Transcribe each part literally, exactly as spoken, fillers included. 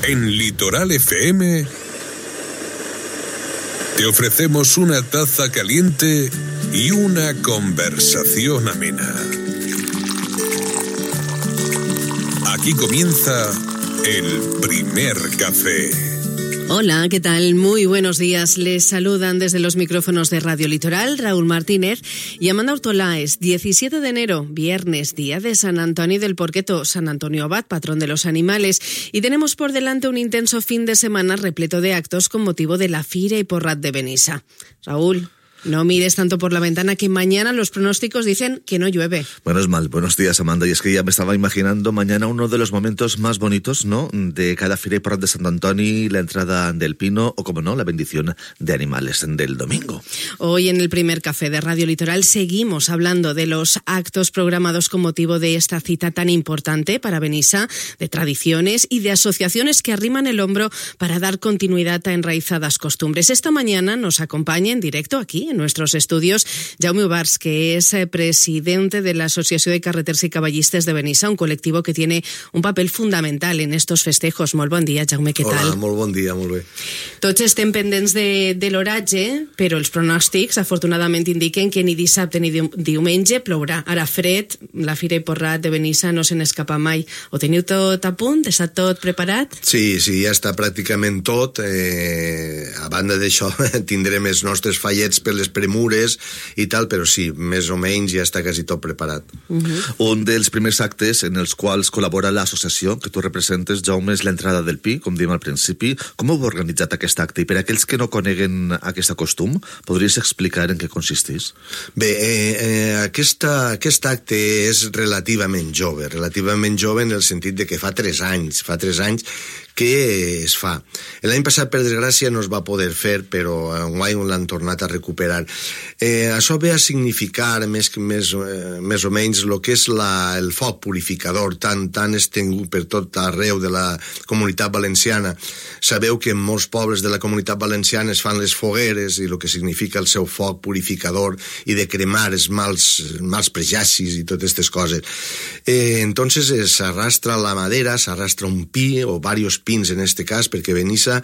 En Litoral F M te ofrecemos una taza caliente y una conversación amena. Aquí comienza el primer café. Hola, ¿qué tal? Muy buenos días. Les saludan desde los micrófonos de Radio Litoral Raúl Martínez y Amanda Ortolaes. diecisiete de enero, viernes, día de San Antoni del Porqueto, San Antonio Abad, patrón de los animales. Y tenemos por delante un intenso fin de semana repleto de actos con motivo de la Fira y Porrat de Benissa. Raúl, no mires tanto por la ventana, que mañana los pronósticos dicen que no llueve. Menos mal. Buenos días, Amanda. Y es que ya me estaba imaginando mañana uno de los momentos más bonitos, ¿no?, de cada Fira y Porrat de Sant Antoni, la entrada del pino o, como no, la bendición de animales del domingo. Hoy en el primer café de Radio Litoral seguimos hablando de los actos programados con motivo de esta cita tan importante para Benissa, de tradiciones y de asociaciones que arriman el hombro para dar continuidad a enraizadas costumbres. Esta mañana nos acompaña en directo aquí, en nuestros estudios, Jaume Ubars, que es presidente de la Asociación de Carreters y Caballistes de Benissa, un colectivo que tiene un papel fundamental en estos festejos. Molt bon dia, Jaume, què tal? Hola, molt bon dia, molt bé. Tots estem pendents de, de l'oratge, però els pronòstics, afortunadament, indiquen que ni dissabte ni diumenge plourà. Ara fred, la Fira i Porrat de Benissa no se n'escapa mai. Ho teniu tot a punt? Està tot preparat? Sí, sí, ja està pràcticament tot. Eh, a banda d'això, tindrem els nostres fallets per les premures i tal, però sí, més o menys ja està quasi tot preparat. Uh-huh. Un dels primers actes en els quals col·labora l'associació que tu representes, Jaume, és l'entrada del pi, com diem al principi. Com heu organitzat aquest acte? I per aquells que no coneguen aquest costum, podries explicar en què consisteix? Bé, eh, eh, aquesta, aquest acte és relativament jove, relativament jove en el sentit de que fa tres anys, fa tres anys que es fa. L'any passat, per desgràcia, no es va poder fer, però enguany l'han tornat a recuperar. Eh, això ve a significar més, més, eh, més o menys el que és la, el foc purificador tan, tan estengut per tot arreu de la Comunitat Valenciana. Sabeu que en molts pobles de la Comunitat Valenciana es fan les fogueres i el que significa el seu foc purificador i de cremar els mals, mals prejudicis i totes aquestes coses. Eh, entonces s'arrastra la madera, s'arrastra un pi o varios pins en este cas, perquè Benissa,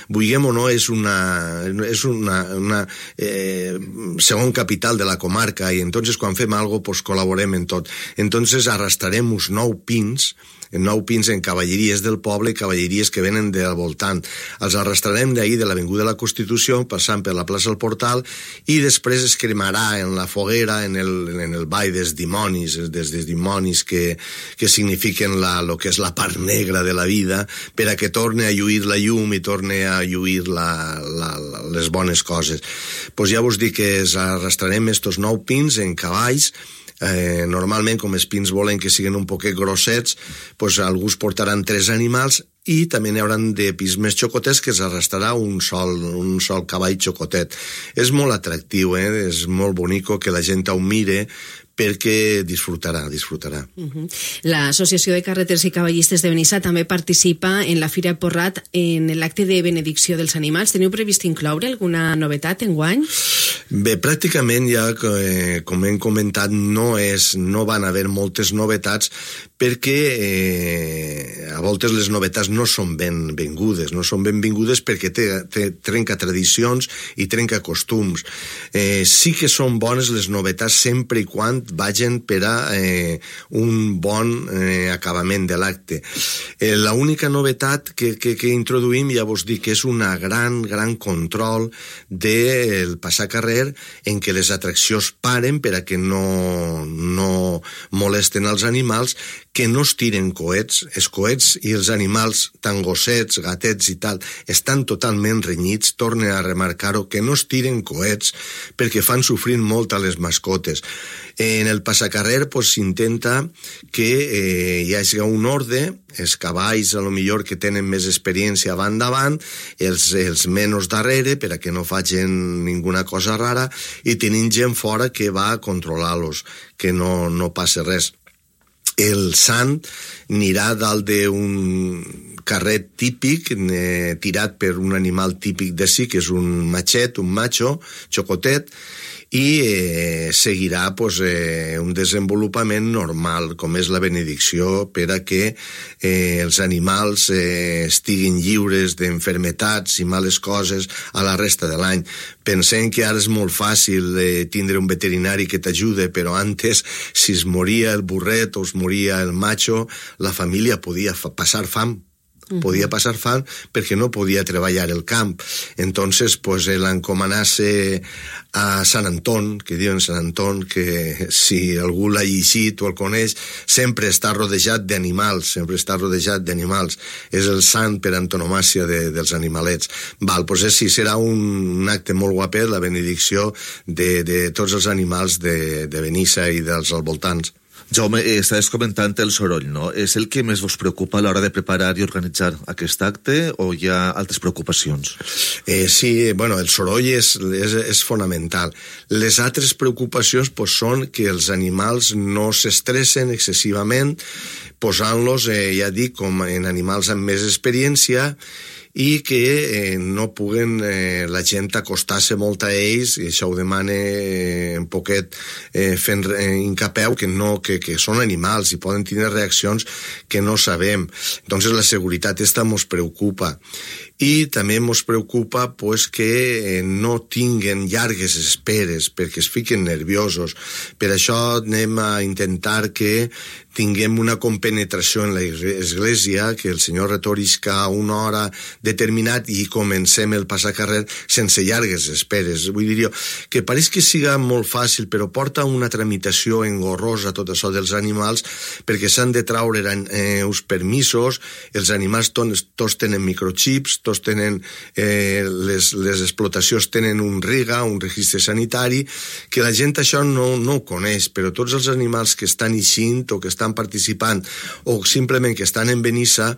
vulguem o no, és una, és una, una eh, segon capital de la comarca, i entonces quan fem algo pues col·laborem en tot. Entonces arrastrarem uns nou pins, nou pins en cavalleries del poble, cavalleries que venen del voltant. Els arrastrarem d'ahir de l'Avinguda de la Constitució, passant per la plaça del Portal, i després es cremarà en la foguera, en el, en el ball dels dimonis, des dels dimonis que, que signifiquen la, lo que és la part negra de la vida, per a que torne a lluir la llum i torne a lluir la, la, la, les bones coses. Pues ja vos dic que es arrastrarem estos nou pins en cavalls. Eh, normalment, com els pins volen que siguin un poquet grossets, pues alguns portaran tres animals i també n'hi hauran de pins més xocotets que s'arrastrarà un sol, un sol cavall xocotet. És molt atractiu, eh? És molt bonico que la gent ho mire, perquè disfrutarà, disfrutarà. Uh-huh. L'Associació de Carreters i Caballistes de Benissa també participa en la Fira i Porrat en l'acte de benedicció dels animals. Teniu previst incloure alguna novetat enguany? Bé, pràcticament ja, eh, com hem comentat, no, és, no van haver moltes novetats perquè eh, a voltes les novetats no són ben benvingudes, no són benvingudes perquè te, te, trenca tradicions i trenca costums. Eh, sí que són bones les novetats sempre i quan vagin per a eh, un bon eh, acabament de l'acte. Eh, la única novetat que, que, que introduïm, ja vos dic, que és una gran, gran control del passacarrer en què les atraccions paren per a que no, no molesten els animals, que no es tiren coets. Els coets i els animals, tant gossets, gatets i tal, estan totalment renyits. Torne a remarcar-ho, que no es tiren coets perquè fan sofrir molt a les mascotes. En el passacarrer pues, s'intenta que eh, hi hagi un ordre, els cavalls a lo millor que tenen més experiència van davant, els, els menys darrere per a que no facin ninguna cosa rara, i tenim gent fora que va a controlar-los, que no, no passi res. El sant anirà dalt d'un carret típic, eh, tirat per un animal típic de sí, que és un matxet, un macho, xocotet, i eh, seguirà pues, eh, un desenvolupament normal, com és la benedicció, per a que eh, els animals eh, estiguin lliures d'enfermetats i males coses a la resta de l'any. Pensem que ara és molt fàcil eh, tindre un veterinari que t'ajude, però antes, si es moria el burret o es moria el macho, la família podia fa- passar fam. Podia passar fam perquè no podia treballar el camp. Entonces, pues, l'encomanassa a Sant Anton, que diuen Sant Anton, que si algú l'ha llegit o el coneix, sempre està rodejat d'animals, sempre està rodejat d'animals. És el sant per antonomàcia de, dels animalets. Val, pues sí, serà un, un acte molt guapet, la benedicció de, de tots els animals de, de Benissa i dels voltants. Jaume, eh, estaves comentant el soroll, no? És el que més vos preocupa a l'hora de preparar i organitzar aquest acte o hi ha altres preocupacions? Eh, sí, bueno, el soroll és, és, és fonamental. Les altres preocupacions pues, són que els animals no s'estressen excessivament, posant-los, eh, ja dic, com en animals amb més experiència, i que eh, no puguen eh, la gent acostar-se molt a ells, i això ho demana eh, un poquet eh, fent eh, incapeu que, no, que, que són animals i poden tenir reaccions que no sabem. Entonces la seguretat esta mos preocupa. I també ens preocupa pues, que eh, no tinguen llargues esperes perquè es fiquen nerviosos. Per això anem a intentar que tinguem una compenetració en l'església, que el senyor retorisca una hora determinat i comencem el passacarrer sense llargues esperes. Vull dir jo, que pareix que siga molt fàcil, però porta una tramitació engorrosa tot això dels animals, perquè s'han de traure eh, uns permisos, els animals tots, tots tenen microchips, tots tenen, eh, les, les explotacions tenen un RIGA, un registre sanitari, que la gent això no, no ho coneix, però tots els animals que estan eixint o que estan participant o simplement que estan en Benissa,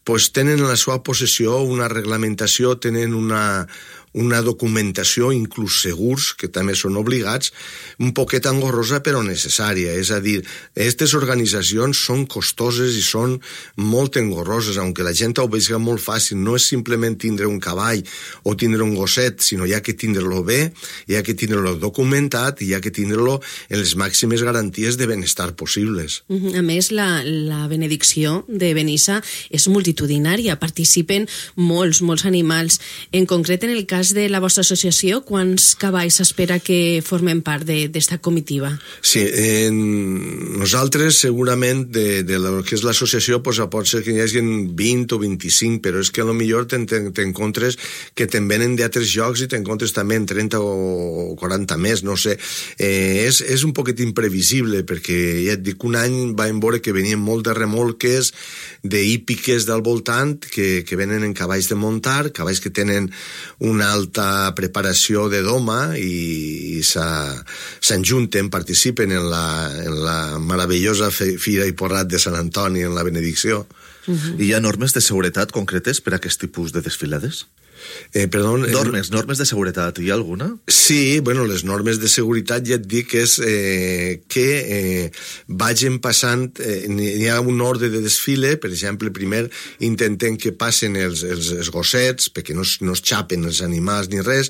pues tenen en la seva possessió una reglamentació, tenen una, una documentació, inclús segurs, que també són obligats, un poquet engorrosa però necessària. És a dir, aquestes organitzacions són costoses i són molt engorroses, aunque la gent ho vegi molt fàcil. No és simplement tindre un cavall o tindre un gosset, sinó hi ha que tindre-lo bé, hi ha que tindre-lo documentat i hi ha que tindre-lo en les màximes garanties de benestar possibles. A més, la, la benedicció de Benissa és multitudinària, participen molts, molts animals. En concret, en el cas de la vostra associació, quants cavalls s'espera que formen part d'esta comitiva? Sí, eh, nosaltres segurament de, de lo que és l'associació pues, pot ser que hi hagi vint o vint-i-cinc, però és que a lo millor t'encontres que te'n venen d'altres llocs i t'encontres també en trenta o quaranta més, no sé. Eh, és, és un poquet imprevisible, perquè ja et dic, un any vam veure que venien molt de remolques, d'hípiques del voltant, que, que venen en cavalls de muntar, cavalls que tenen una alta preparació de doma i, i s'enjunten, participen en la, en la meravellosa fira i porrat de Sant Antoni en la benedicció. Uh-huh. I hi ha normes de seguretat concretes per a aquest tipus de desfilades? Eh, perdó, normes, normes de seguretat, hi ha alguna? Sí, bueno, les normes de seguretat ja et dic que és eh, que eh, vagin passant, eh, hi ha un ordre de desfile, per exemple, primer intentem que passen els, els, els gossets, perquè no, no es xapen els animals ni res,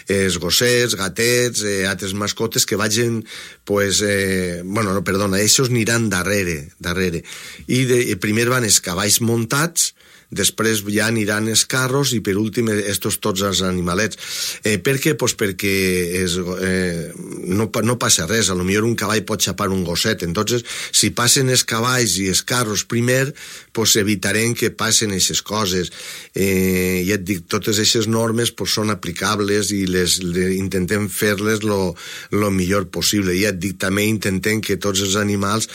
els gossets, gatets, eh, altres mascotes que vagin, pues, eh, bueno, no, perdona, ells aniran darrere, darrere. I de, primer van els cavalls muntats, després ja aniran els carros i per últim estos tots els animalets. Eh, per què? Pues perquè és, eh, no, no passa res, a lo millor un cavall pot xapar un gosset, entonces si passen els cavalls i els carros primer, pues evitarem que passen aquestes coses. Eh, ja et dic, totes aquestes normes pues, són aplicables i les, les intentem fer-les lo, lo millor possible. Ja et dic, també intentem que tots els animals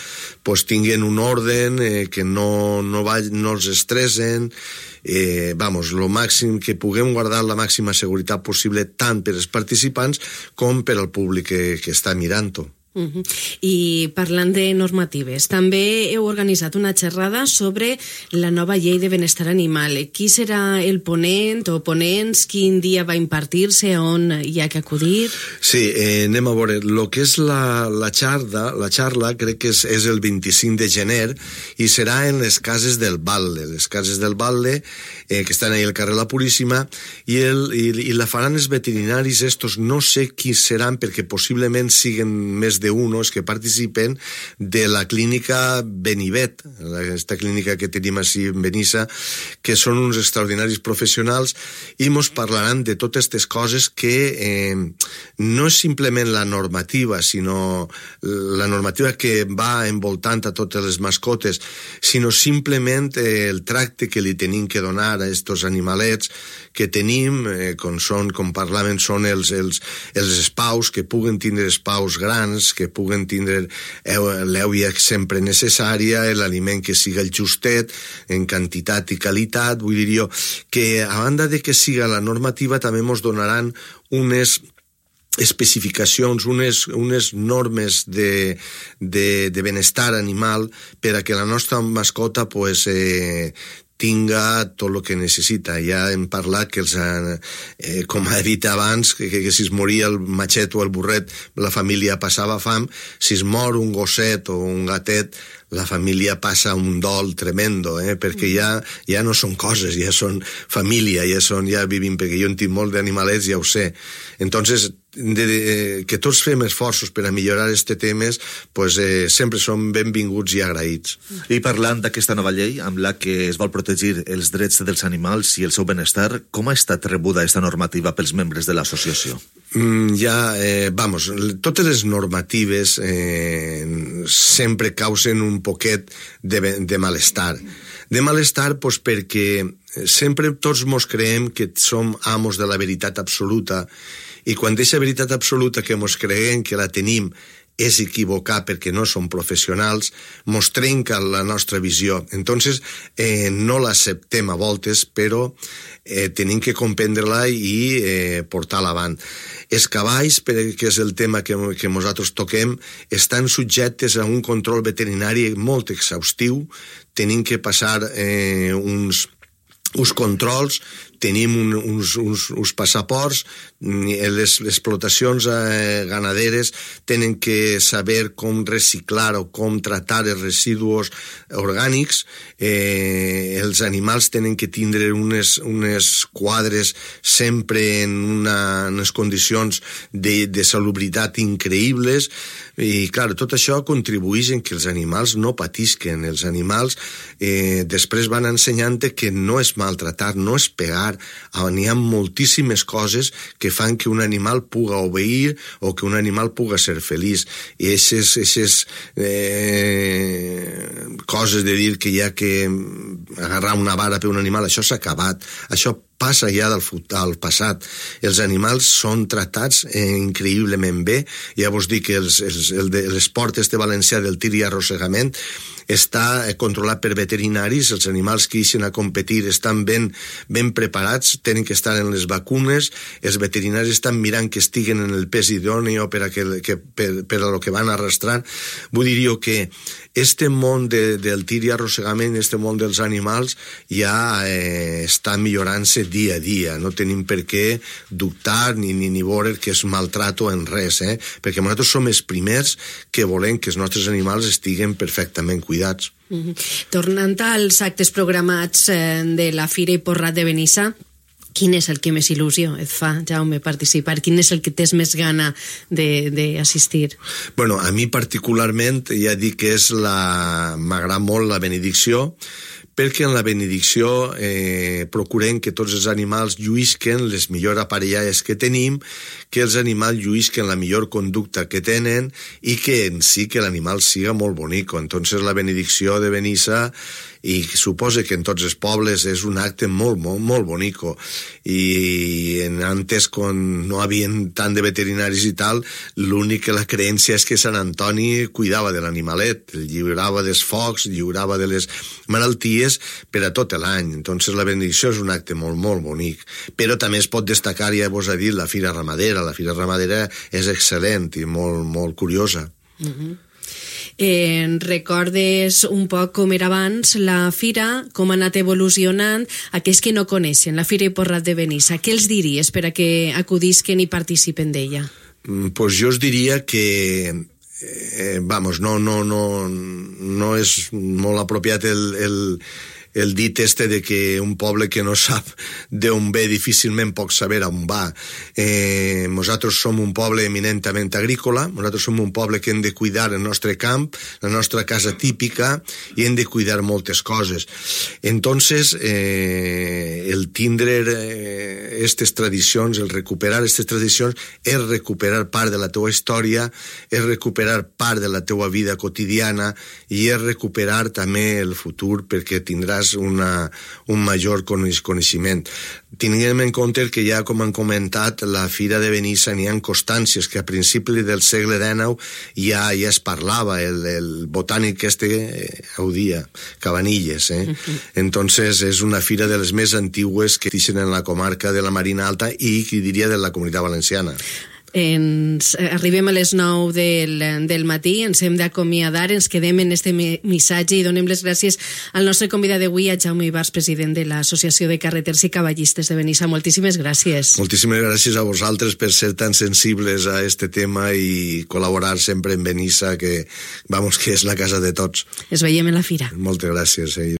pues, tinguin un orden, eh, que no, no, va, no els estressen. Eh, vamos, lo màxim que puguem guardar la màxima seguretat possible tant per als participants com per al públic que, que està mirant-ho. Uh-huh. I parlant de normatives, també heu organitzat una xerrada sobre la nova llei de benestar animal. Qui serà el ponent o ponents? Quin dia va impartir-se? On hi ha que acudir? Sí, eh, anem a veure. El que és la, la xarda, la xarra crec que és, és el vint-i-cinc de gener i serà en les cases del Balde. Les cases del Balde, eh, que estan ahí al carrer La Puríssima, i, el, i, i la faran els veterinaris estos, no sé qui seran, perquè possiblement siguen més d'unos que participen de la clínica Benivet, aquesta clínica que tenim així en Benissa, que són uns extraordinaris professionals i mos parlaran de totes aquestes coses que eh, no és simplement la normativa, sinó la normativa que va envoltant a totes les mascotes, sinó simplement eh, el tracte que li tenim que donar a estos animalets que tenim, eh, com, són, com parlaven, són els, els, els espaus, que puguen tindre espaus grans, que puguen tindre l'èuia sempre necessària, l'aliment que siga el justet, en quantitat i qualitat. Vull dir jo que, a banda de que siga la normativa, també ens donaran unes especificacions, unes, unes normes de, de, de benestar animal per a que la nostra mascota pues, eh, tinga tot el que necessita. Ja hem parlat que, els, eh, com ha dit abans, que, que, que si es moria el matxet o el burret, la família passava fam. Si es mor un gosset o un gatet, la família passa un dol tremendo, eh? perquè ja, ja no són coses, ja són família, ja, són, ja vivim, perquè jo en tinc molt d'animalets, ja ho sé. Entonces, de, de, que tots fem esforços per a millorar aquests temes, pues, eh, sempre són benvinguts i agraïts. I parlant d'aquesta nova llei, amb la que es vol protegir els drets dels animals i el seu benestar, com ha estat rebuda aquesta normativa pels membres de l'associació? Mm, ja, eh, vamos, totes les normatives eh, sempre causen un poquet de, de malestar. De malestar, pues, perquè sempre tots mos creiem que som amos de la veritat absoluta, i quan aquesta veritat absoluta que mos creiem que la tenim és equivocar perquè no som professionals, mos trenca la nostra visió. Entonces, eh, no l'acceptem a voltes, però eh, tenim que comprendre-la i eh, portar-la avant. Els cavalls, que és el tema que, que nosaltres toquem, estan subjectes a un control veterinari molt exhaustiu. Tenim que passar eh, uns, uns controls, tenim un, uns, uns, uns passaports, les explotacions eh, ganaderes tenen que saber com reciclar o com tratar els residus orgànics, eh, els animals tenen que tindre unes, unes quadres sempre en una, unes condicions de, de salubritat increïbles, i clar, tot això contribueix en que els animals no patisquen. Els animals eh, després van ensenyant que no és maltratar, no és pegar. N'hi ha moltíssimes coses que fan que un animal puga obeir o que un animal puga ser feliç. I aquestes eh, coses de dir que hi ha que agarrar una vara per un animal, això s'ha acabat. Això passa ja del, del passat. Els animals són tratats eh, increïblement bé. Ja vos dic que els, els, el de, l'esport este valencià del tir i arrossegament està controlat per veterinaris. Els animals que ixen a competir estan ben, ben preparats, tenen que estar en les vacunes, els veterinaris estan mirant que estiguen en el pes idòneo per a, que, que, per, per a lo que van arrastrant. Vull dir jo que este món de, del tir i arrossegament, este món dels animals, ja eh, està millorant-se dia a dia. No tenim per què dubtar ni, ni, ni veure que és maltrato en res, eh? perquè nosaltres som els primers que volem que els nostres animals estiguen perfectament cuidats. Mm-hmm. Tornant als actes programats eh, de la Fira i Porrat de Benissa, quin és el que més il·lusió et fa, Jaume, participar? Quin és el que tens més gana d'assistir? Bueno, a mi particularment ja dic que és la... m'agrada molt la benedicció, perquè en la benedicció eh, procurem que tots els animals lluïsquen les millors aparellades que tenim, que els animals lluïsquen la millor conducta que tenen i que en si que l'animal siga molt bonic. Entonces la benedicció de Benissa, i suposa que en tots els pobles és un acte molt, molt, molt bonico, i en antes quan no havien tant de veterinaris i tal, l'únic que la creència és que Sant Antoni cuidava de l'animalet, el lliurava dels focs, lliurava de les malalties per a tot l'any. Entonces la benedicció és un acte molt, molt bonic, però també es pot destacar, ja vos ha dit, la Fira Ramadera. La Fira Ramadera és excel·lent i molt, molt curiosa. Uh-huh. Eh, recordes un poc com era abans la fira, com ha anat evolucionant, aquells que no coneixen la Fira i Porrat de Benissa, què els diries per a que acudisquen i participen d'ella? Pues jo us diria que eh, vamos, no, no, no, no és molt apropiat el, el, el dit este de que un poble que no sap d'on ve difícilment pot saber on va. Eh, nosaltres som un poble eminentament agrícola, nosaltres som un poble que hem de cuidar el nostre camp, la nostra casa típica, i hem de cuidar moltes coses. Entonces, eh, el tindre eh, estes tradicions, el recuperar aquestes tradicions, és recuperar part de la teua història, és recuperar part de la teua vida quotidiana i és recuperar també el futur, perquè tindràs una, un major coneixement. Tinguem en compte que ja, com han comentat, la Fira de Benissa n'hi ha constàncies que a principi del segle dinou ja, ja es parlava, el, el botànic este eh, Audia, Cabanilles. Eh? Uh-huh. Entonces és una fira de les més antigues que existeixen en la comarca de la Marina Alta i, qui diria, de la Comunitat Valenciana. Ens arribem a les nou del, del matí, ens hem d'acomiadar, ens quedem en este missatge i donem les gràcies al nostre convidat d'avui, a Jaume Ibars, president de l'Associació de Carreters i Cavallistes de Benissa. Moltíssimes gràcies. Moltíssimes gràcies a vosaltres per ser tan sensibles a este tema i col·laborar sempre en Benissa, que, vamos, que és la casa de tots. Ens veiem en la fira. Moltes gràcies. Eh?